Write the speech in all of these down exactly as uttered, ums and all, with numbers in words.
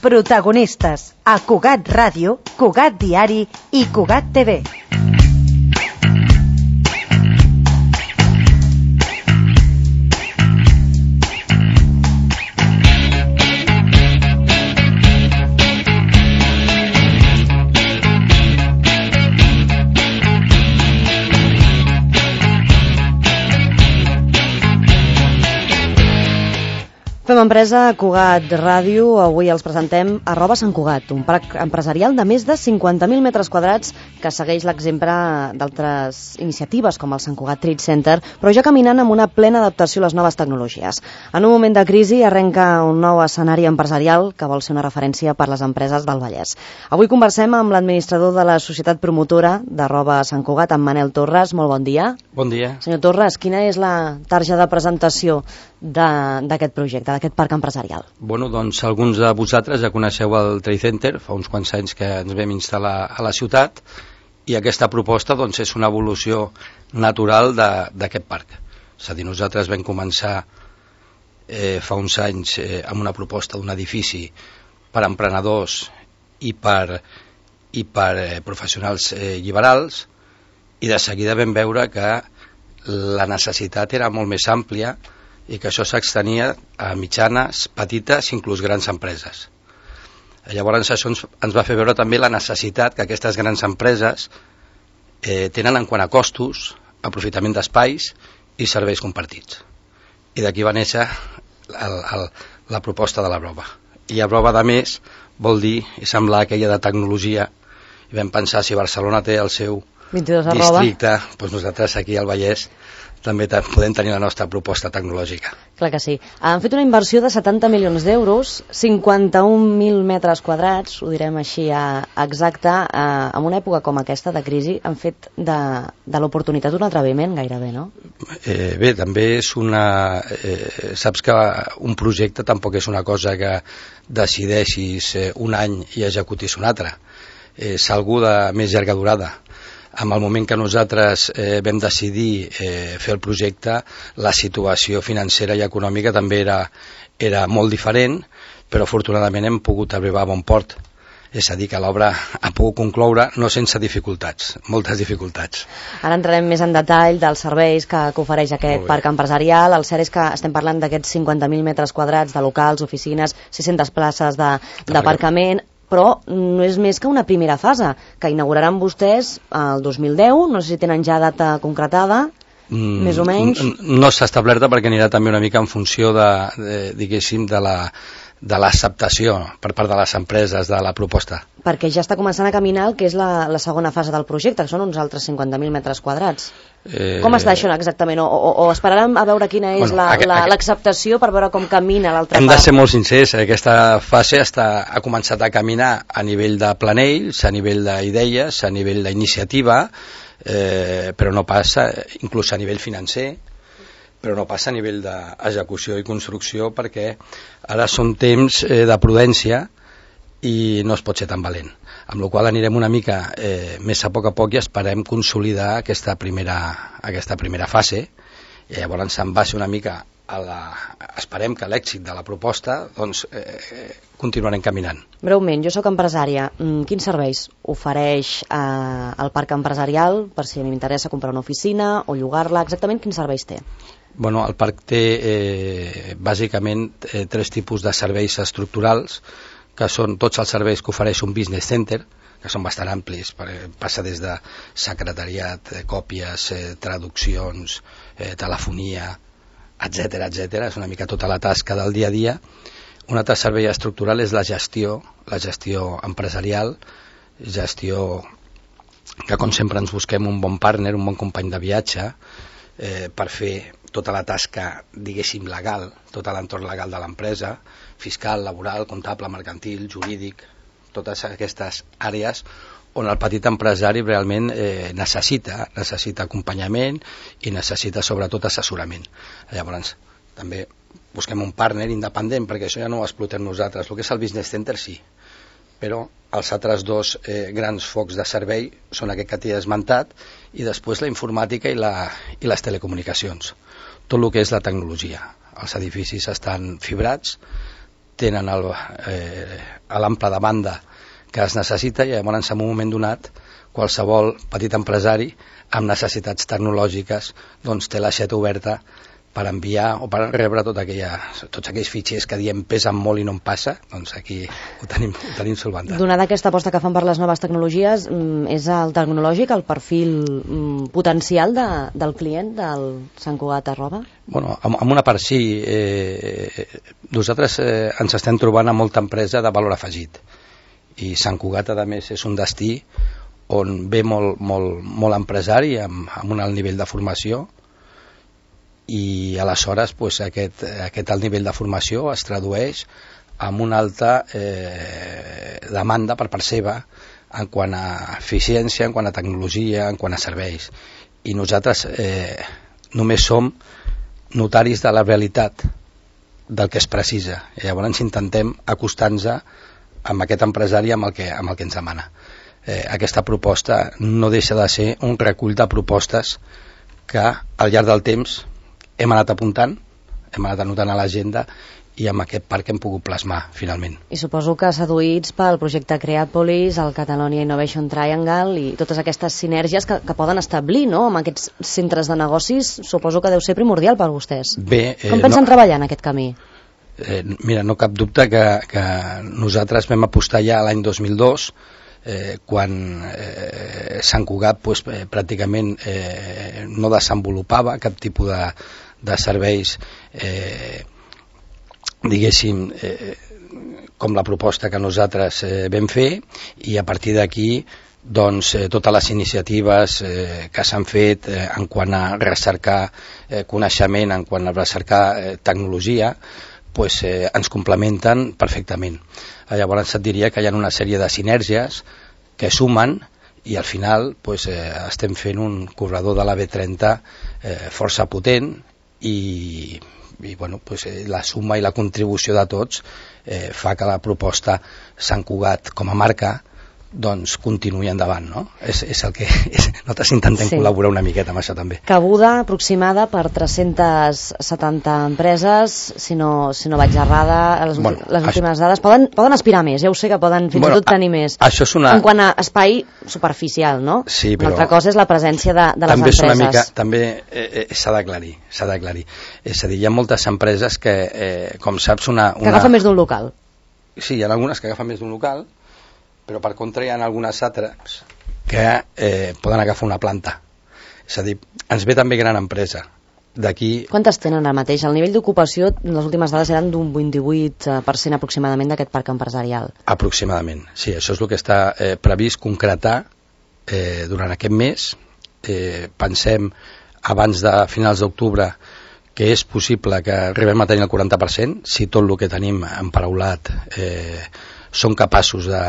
Protagonistes a Cugat Ràdio, Cugat Diari i Cugat T V. Fem empresa a Cugat Ràdio. Avui els presentem Arroba Sant Cugat, un parc empresarial de més de cinquanta mil metres quadrats que segueix l'exemple d'altres iniciatives com el Sant Cugat Trade Center, però ja caminant amb una plena adaptació a les noves tecnologies. En un moment de crisi arrenca un nou escenari empresarial que vol ser una referència per les empreses del Vallès. Avui conversem amb l'administrador de la societat promotora d'Arroba Sant Cugat, en Manel Torres. Molt bon dia. Bon dia. Senyor Torres, quina és la tarja de presentació d'aquest projecte, d'aquest parc empresarial? Bueno, doncs alguns de vosaltres ja coneixeu el Trade Center, fa uns quants anys que ens vam instal·lar a la ciutat, i aquesta proposta doncs, és una evolució natural d'aquest parc. És a dir, nosaltres vam començar eh, fa uns anys eh, amb una proposta d'un edifici per emprenedors i per, i per eh, professionals eh, liberals, i de seguida vam veure que la necessitat era molt més àmplia i que això s'extenia a mitjanes, petites, inclús grans empreses. Llavors això ens, ens va fer veure també la necessitat que aquestes grans empreses eh, tenen en quant a costos, aprofitament d'espais i serveis compartits. I d'aquí va néixer el, el, la proposta de la Arroba. I Arroba, de més, vol dir i semblar aquella de tecnologia, i vam pensar si Barcelona té el seu vint-i-dos districte, doncs nosaltres aquí al Vallès també podem tenir la nostra proposta tecnològica. Clar que sí. Han fet una inversió de setanta milions d'euros, cinquanta-un mil metres quadrats, ho direm així exacte, eh, en una època com aquesta de crisi, han fet de, de l'oportunitat un atreviment gairebé, no? Eh, bé, també és una... Eh, saps que un projecte tampoc és una cosa que decideixis eh, un any i executis un altre. És algú de més llarga durada. En el moment que nosaltres eh, vam decidir eh, fer el projecte, la situació financera i econòmica també era, era molt diferent, però afortunadament hem pogut arribar a bon port. És a dir, que l'obra ha pogut concloure no sense dificultats, moltes dificultats. Ara entrarem més en detall dels serveis que, que ofereix aquest parc empresarial. El cert és que estem parlant d'aquests cinquanta mil metres quadrats de locals, oficines, sis-centes places d'aparcament, però no és més que una primera fase, que inauguraran vostès el dos mil deu, no sé si tenen ja data concretada, mm, més o menys. No s'ha establerta perquè anirà també una mica en funció de, de diguéssim, de la de l'acceptació per part de les empreses de la proposta. Perquè ja està començant a caminar el que és la, la segona fase del projecte, que són uns altres cinquanta mil metres quadrats. Eh... Com està això exactament? O, o, o esperarem a veure quina és bueno, l'acceptació la, la, per veure com camina l'altra part? Hem de ser molt sincers, aquesta fase està, ha començat a caminar a nivell de planells, a nivell d'idees, a nivell d'iniciativa, eh, però no passa, inclús a nivell financer, però no passa a nivell d'execució i construcció perquè ara són temps eh, de prudència i no es pot ser tan valent. Amb la qual cosa anirem una mica eh, més a poc a poc i esperem consolidar aquesta primera, aquesta primera fase i llavors en base una mica a la... esperem que l'èxit de la proposta doncs eh, continuarem caminant. Breument, jo sóc empresària. Quins serveis ofereix eh, el parc empresarial per si m'interessa comprar una oficina o llogar-la? Exactament quins serveis té? Bueno, el parc té eh, bàsicament eh, tres tipus de serveis estructurals, que són tots els serveis que ofereix un business center, que són bastant amplis, passa des de secretariat, eh, còpies, eh, traduccions, eh, telefonia, etcètera, etcètera. És una mica tota la tasca del dia a dia. Un altre servei estructural és la gestió, la gestió empresarial, gestió que com sempre ens busquem un bon partner, un bon company de viatge, eh, per fer tota la tasca, diguéssim, legal, tot l'entorn legal de l'empresa, fiscal, laboral, comptable, mercantil, jurídic, totes aquestes àrees on el petit empresari realment eh, necessita, necessita acompanyament i necessita sobretot assessorament. Llavors, també busquem un partner independent, perquè això ja no ho explotem nosaltres. El que és el business center sí, però els altres dos eh, grans focs de servei són aquest que t'he esmentat i després la informàtica i, la, i les telecomunicacions. Tot el que és la tecnologia. Els edificis estan fibrats, tenen el, eh, l'ample de banda que es necessita, i llavors en un moment donat qualsevol petit empresari amb necessitats tecnològiques doncs té l'aixeta oberta per enviar o per rebre tot aquella, tots aquells fitxers que diem pesen molt i no en passa, doncs aquí ho tenim, ho tenim solventat. Donada aquesta aposta que fan per les noves tecnologies, és el tecnològic el perfil potencial de, del client del Sant Cugat arroba? Bueno, amb, amb una part sí. Eh, nosaltres eh, ens estem trobant amb molta empresa de valor afegit, i Sant Cugat, a més, és un destí on ve molt, molt, molt empresari amb, amb un alt nivell de formació, i aleshores pues, aquest, aquest alt nivell de formació es tradueix amb una alta eh, demanda per part seva en quant a eficiència, en quant a tecnologia, en quant a serveis, i nosaltres eh, només som notaris de la realitat del que es precisa, i llavors intentem acostar-nos amb aquest empresari amb el que, amb el que ens demana. Eh, aquesta proposta no deixa de ser un recull de propostes que al llarg del temps hem anat apuntant, hem anat anotant a l'agenda, i amb aquest parc hem pogut plasmar finalment. I suposo que seduïts pel projecte Creatopolis, el Catalonia Innovation Triangle i totes aquestes sinergies que, que poden establir, no?, amb aquests centres de negocis, suposo que deu ser primordial per vostès. Bé, eh, com pensen no, treballar en aquest camí? Eh, mira, no cap dubte que, que nosaltres vam apostar ja l'any dos mil dos, eh, quan eh, Sant Cugat pues, eh, pràcticament eh, no desenvolupava cap tipus de de serveis eh, diguéssim eh, com la proposta que nosaltres eh, vam fer, i a partir d'aquí doncs eh, totes les iniciatives eh, que s'han fet eh, en quant a recercar eh, coneixement, en quant a recercar eh, tecnologia, pues, eh, ens complementen perfectament. Llavors et diria que hi ha una sèrie de sinergies que sumen, i al final pues, eh, estem fent un corredor de la B trenta eh, força potent, i, i bueno, pues, eh, la suma i la contribució de tots eh, fa que la proposta Sant Cugat com a marca doncs continuï endavant, no? És, és el que és, nosaltres intentem sí. col·laborar una miqueta amb això també. Cabuda aproximada per tres-centes setanta empreses, si no, si no vaig errada, les, bueno, les últimes això... dades. Poden, poden aspirar més, ja ho sé que poden fins bueno, i tot tenir més. Això és una... En quant a espai superficial, no? Sí, però... Una altra cosa és la presència de, de les també empreses. És una mica, també eh, eh, s'ha d'aclarir, s'ha d'aclarir. És a dir, hi ha moltes empreses que, eh, com saps, una, una... Que agafen més d'un local. Sí, hi ha algunes que agafen més d'un local, però per contra hi ha algunes altres que eh, poden agafar una planta. És a dir, ens ve també gran empresa. D'aquí... Quantes tenen ara mateix? El nivell d'ocupació, les últimes dades eren d'un vint-i-vuit per cent aproximadament d'aquest parc empresarial. Aproximadament, sí. Això és el que està eh, previst concretar eh, durant aquest mes. Eh, pensem, abans de finals d'octubre, que és possible que arribem a tenir el quaranta per cent, si tot el que tenim emparaulat eh, són capaços de,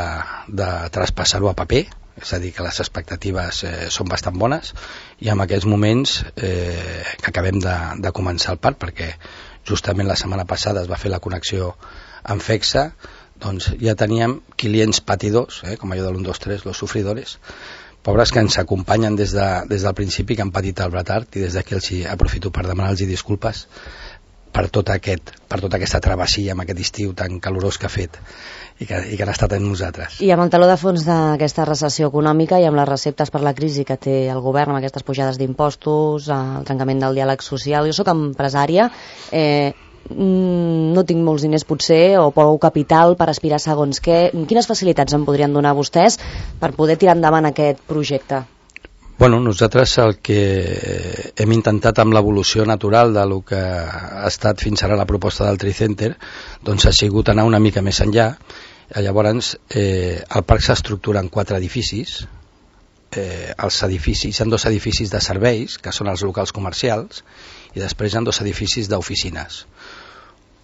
de traspassar-ho a paper, és a dir, que les expectatives eh, són bastant bones, i en aquests moments eh, que acabem de, de començar el parc, perquè justament la setmana passada es va fer la connexió amb FEXA, doncs ja teníem clients patidors, eh, com allò de l'un, dos, tres, los sufridores, pobres que ens acompanyen des, de, des del principi, que han patit el retard, i des d'aquí els aprofito per demanar-los disculpes per, tot aquest, per tota aquesta travessia amb aquest estiu tan calorós que ha fet i que, i que han estat amb nosaltres. I amb el taló de fons d'aquesta recessió econòmica i amb les receptes per la crisi que té el govern, amb aquestes pujades d'impostos, el trencament del diàleg social, jo sóc empresària, eh, no tinc molts diners potser o prou capital per aspirar segons què. Quines facilitats em podrien donar vostès per poder tirar endavant aquest projecte? Bueno, nosaltres el que hem intentat amb l'evolució natural de lo que ha estat fins ara la proposta del Tricenter, doncs ha sigut anar una mica més enllà. Llavors, eh, el parc s'estructura en quatre edificis. Eh, els edificis, hi ha dos edificis de serveis, que són els locals comercials, i després hi ha dos edificis d'oficines.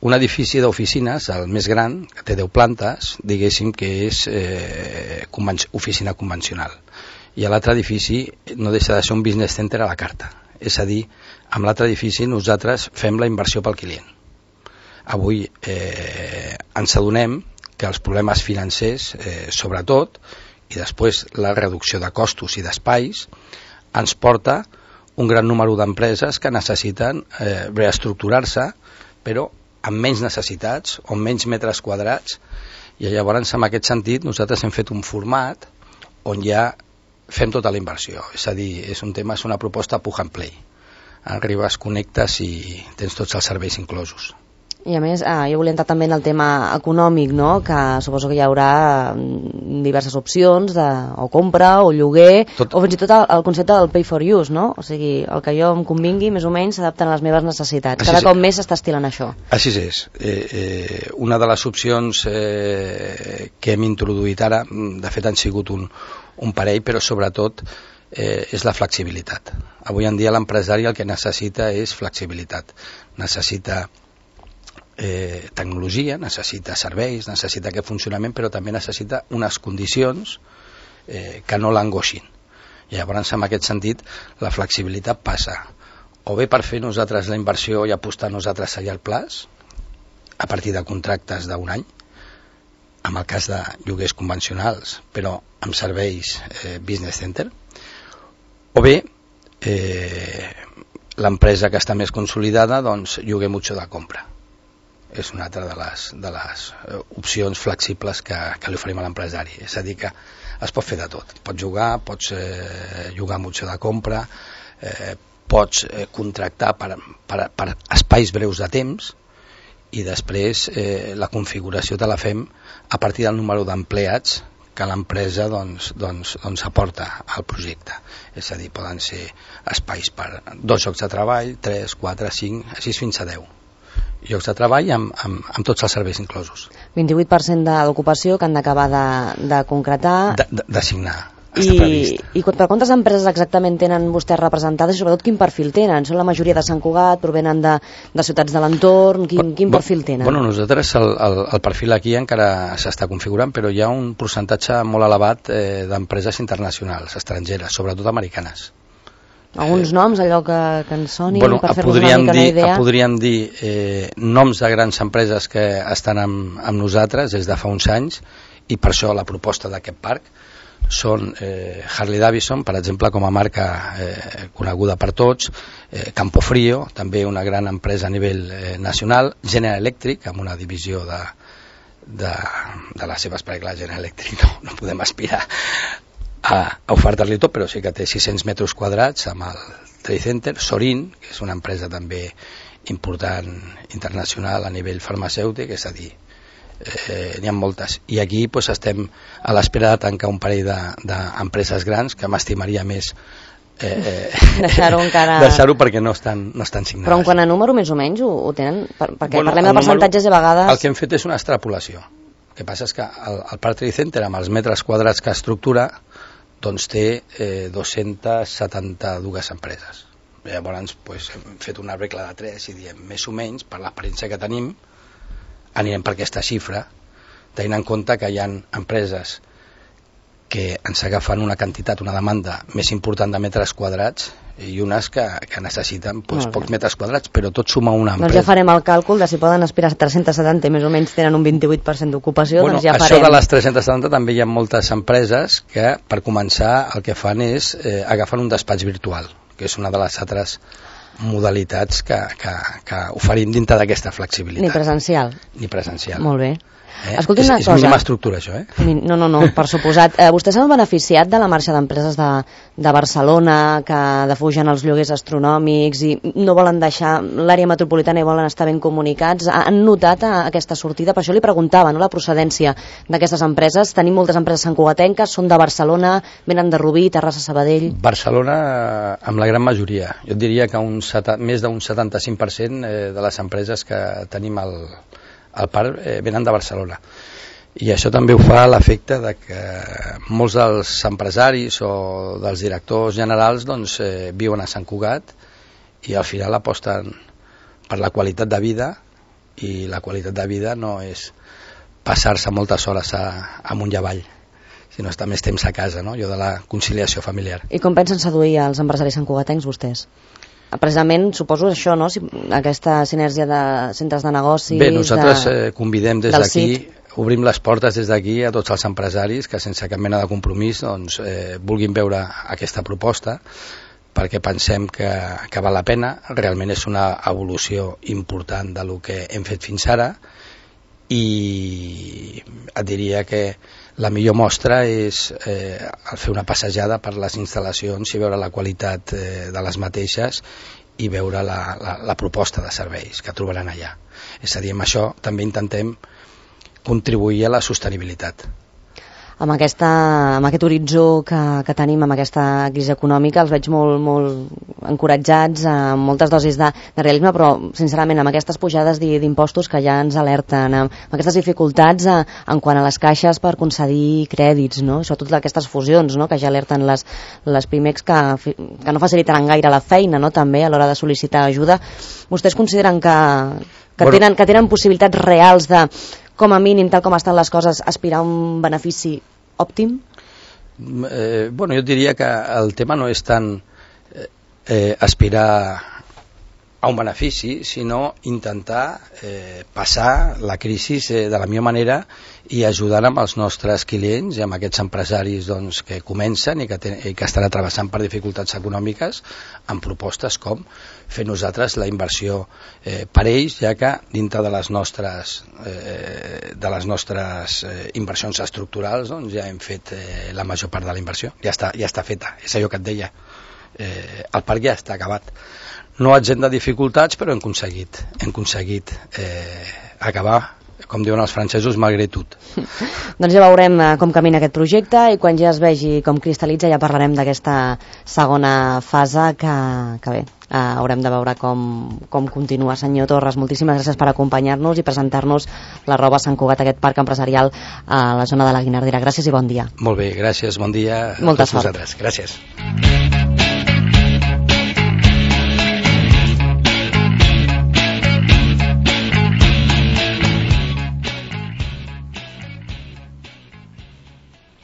Un edifici d'oficines, el més gran, que té deu plantes, diguéssim que és eh, conven- oficina convencional. I a l'altre edifici no deixa de ser un business center a la carta. És a dir, amb l'altre edifici nosaltres fem la inversió pel client. Avui eh, ens adonem que els problemes financers, eh, sobretot, i després la reducció de costos i d'espais, ens porta un gran número d'empreses que necessiten eh, reestructurar-se, però amb menys necessitats o menys metres quadrats, i llavors en aquest sentit nosaltres hem fet un format on ja fem tota la inversió, és a dir, és un tema, és una proposta plug and play. Arribes, connectes i tens tots els serveis inclosos. I a més, ah, jo volia entrar també en el tema econòmic, no? Que suposo que hi haurà diverses opcions de o compra o lloguer, tot... o fins i tot el, el concepte del pay for use, no? O sigui, el que jo em convingui més o menys s'adapten a les meves necessitats. Cada Així cop és. Més s'està estilant això. Així és. Eh, eh, una de les opcions eh, que hem introduït ara, de fet han sigut un, un parell, però sobretot eh, és la flexibilitat. Avui en dia l'empresari el que necessita és flexibilitat. Necessita Eh, tecnologia, necessita serveis, necessita aquest funcionament, però també necessita unes condicions eh, que no l'angoixin. I llavors, en aquest sentit, la flexibilitat passa o bé per fer nosaltres la inversió i apostar nosaltres allà al plaç, a partir de contractes d'un any, en el cas de lloguers convencionals, però amb serveis eh, business center, o bé eh, l'empresa que està més consolidada, doncs lloguer mucho de compra. És una altra de les, de les opcions flexibles que, que li oferim a l'empresari. És a dir, que es pot fer de tot. Pots jugar, pots eh, jugar mucho de compra, eh, pots eh, contractar per, per, per espais breus de temps, i després eh, la configuració te la fem a partir del número d'empleats que l'empresa doncs, doncs, doncs aporta al projecte. És a dir, poden ser espais per dos llocs de treball, tres, quatre, cinc, així fins a deu llocs de treball amb, amb, amb tots els serveis inclosos. vint-i-vuit per cent de l'ocupació que han d'acabar de, de concretar. De, de, de signar. I, i per quantes empreses exactament tenen vostès representades i sobretot quin perfil tenen? Són la majoria de Sant Cugat, provenen de, de ciutats de l'entorn, quin, quin perfil tenen? Bueno, nosaltres el, el, el perfil aquí encara s'està configurant, però hi ha un percentatge molt elevat eh, d'empreses internacionals, estrangeres, sobretot americanes. Alguns noms, allò que, que ens soni, bueno, per fer-nos una mica dir, una idea? Podríem dir eh, noms de grans empreses que estan amb, amb nosaltres des de fa uns anys, i per això la proposta d'aquest parc són eh, Harley Davidson, per exemple, com a marca eh, coneguda per tots, eh, Campofrío, també una gran empresa a nivell eh, nacional, General Electric, amb una divisió de, de, de les seves, perquè clar, General Electric no, no podem aspirar a, a ofertar-li tot, però sí que té sis-cents metres quadrats amb el Trade Center. Sorin, que és una empresa també important internacional a nivell farmacèutic, és a dir, eh, n'hi ha moltes, i aquí pues, estem a l'espera de tancar un parell d'empreses de, grans que m'estimaria més eh, deixar-ho encara... deixar-ho perquè no estan, no estan signades. Però en quant a número més o menys ho, ho tenen? Per, perquè bueno, parlem de percentatges número, i a vegades... El que hem fet és una extrapolació. El que passa és que el, el Parc Trade Center, amb els metres quadrats que estructura, doncs té eh, dos-centes setanta-dues empreses. Llavors pues, hem fet una regla de tres i diem més o menys, per l'experiència que tenim, anirem per aquesta xifra, tenint en compte que hi ha empreses que ens agafen una quantitat, una demanda més important de metres quadrats i unes que, que necessiten doncs, pocs metres quadrats, però tot suma una empresa. Doncs ja farem el càlcul de si poden aspirar a tres-cents setanta i més o menys tenen un vint-i-vuit per cent d'ocupació, bueno, doncs ja això farem. De les tres-centes setanta també hi ha moltes empreses que per començar el que fan és eh, agafar un despatx virtual, que és una de les altres modalitats que, que, que oferim dintre d'aquesta flexibilitat. Ni presencial. Ni presencial. Molt bé. Eh? Escolti una és, cosa. És mínima estructura, això, eh? No, no, no, per suposat. Eh, vostès s'han beneficiat de la marxa d'empreses de, de Barcelona que defugen els lloguers astronòmics i no volen deixar l'àrea metropolitana i volen estar ben comunicats. Han notat a, aquesta sortida? Per això li preguntava, no?, la procedència d'aquestes empreses. Tenim moltes empreses santcugatenques, són de Barcelona, venen de Rubí, Terrassa, Sabadell... Barcelona, amb la gran majoria. Jo diria que un seta, més d'un setanta-cinc per cent de les empreses que tenim al el parc eh, venen de Barcelona, i això també ho fa l'efecte de que molts dels empresaris o dels directors generals doncs, eh, viuen a Sant Cugat i al final aposten per la qualitat de vida, i la qualitat de vida no és passar-se moltes hores a, amunt i avall, sinó estar més temps a casa, no? Allò de la conciliació familiar. I com pensen seduir als empresaris santcugatencs vostès? Precisament, suposo això, no? Aquesta sinergia de centres de negocis... Bé, nosaltres de... eh, convidem des d'aquí, obrim les portes des d'aquí a tots els empresaris que sense cap mena de compromís doncs, eh, vulguin veure aquesta proposta, perquè pensem que, que val la pena. Realment és una evolució important de lo que hem fet fins ara, i et diria que la millor mostra és eh, el fer una passejada per les instal·lacions i veure la qualitat eh, de les mateixes i veure la, la, la proposta de serveis que trobaran allà. És a dir, amb això també intentem contribuir a la sostenibilitat. Amb, aquesta, amb aquest horitzó que, que tenim, amb aquesta crisi econòmica, els veig molt, molt encoratjats, amb moltes dosis de, de realisme, però sincerament amb aquestes pujades d'impostos que ja ens alerten, amb, amb aquestes dificultats a, en quant a les caixes per concedir crèdits, no? Sobretot aquestes fusions, no? Que ja alerten les, les Pimex que, que no facilitaran gaire la feina, no? També a l'hora de sol·licitar ajuda. Vostès consideren que, que, bueno, tenen, que tenen possibilitats reals de, com a mínim, tal com estan les coses, aspirar a un benefici òptim? Eh, bueno, jo diria que el tema no és tant eh, aspirar a un benefici, sinó intentar eh, passar la crisi eh, de la millor manera i ajudar amb els nostres clients i amb aquests empresaris doncs, que comencen i que, ten, i que estan atravessant per dificultats econòmiques, amb propostes com fer nosaltres la inversió eh, per ells, ja que dintre de les nostres, eh, de les nostres eh, inversions estructurals doncs, ja hem fet eh, la major part de la inversió, ja està, ja està feta, és allò que et deia, eh, el parc ja està acabat. No exempt de dificultats, però hem aconseguit, hem aconseguit eh, acabar, com diuen els francesos, malgrat tot. Doncs ja veurem com camina aquest projecte i quan ja es vegi com cristal·litza ja parlarem d'aquesta segona fase que, que bé, eh, haurem de veure com, com continua. Senyor Torres, moltíssimes gràcies per acompanyar-nos i presentar-nos l'Arroba Sant Cugat, aquest parc empresarial a la zona de la Guinardera. Gràcies i bon dia. Molt bé, gràcies, bon dia a Molta tots sort. vosaltres. Gràcies.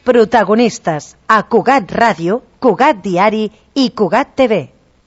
Protagonistes a Cugat Ràdio, Cugat Diari i Cugat T V.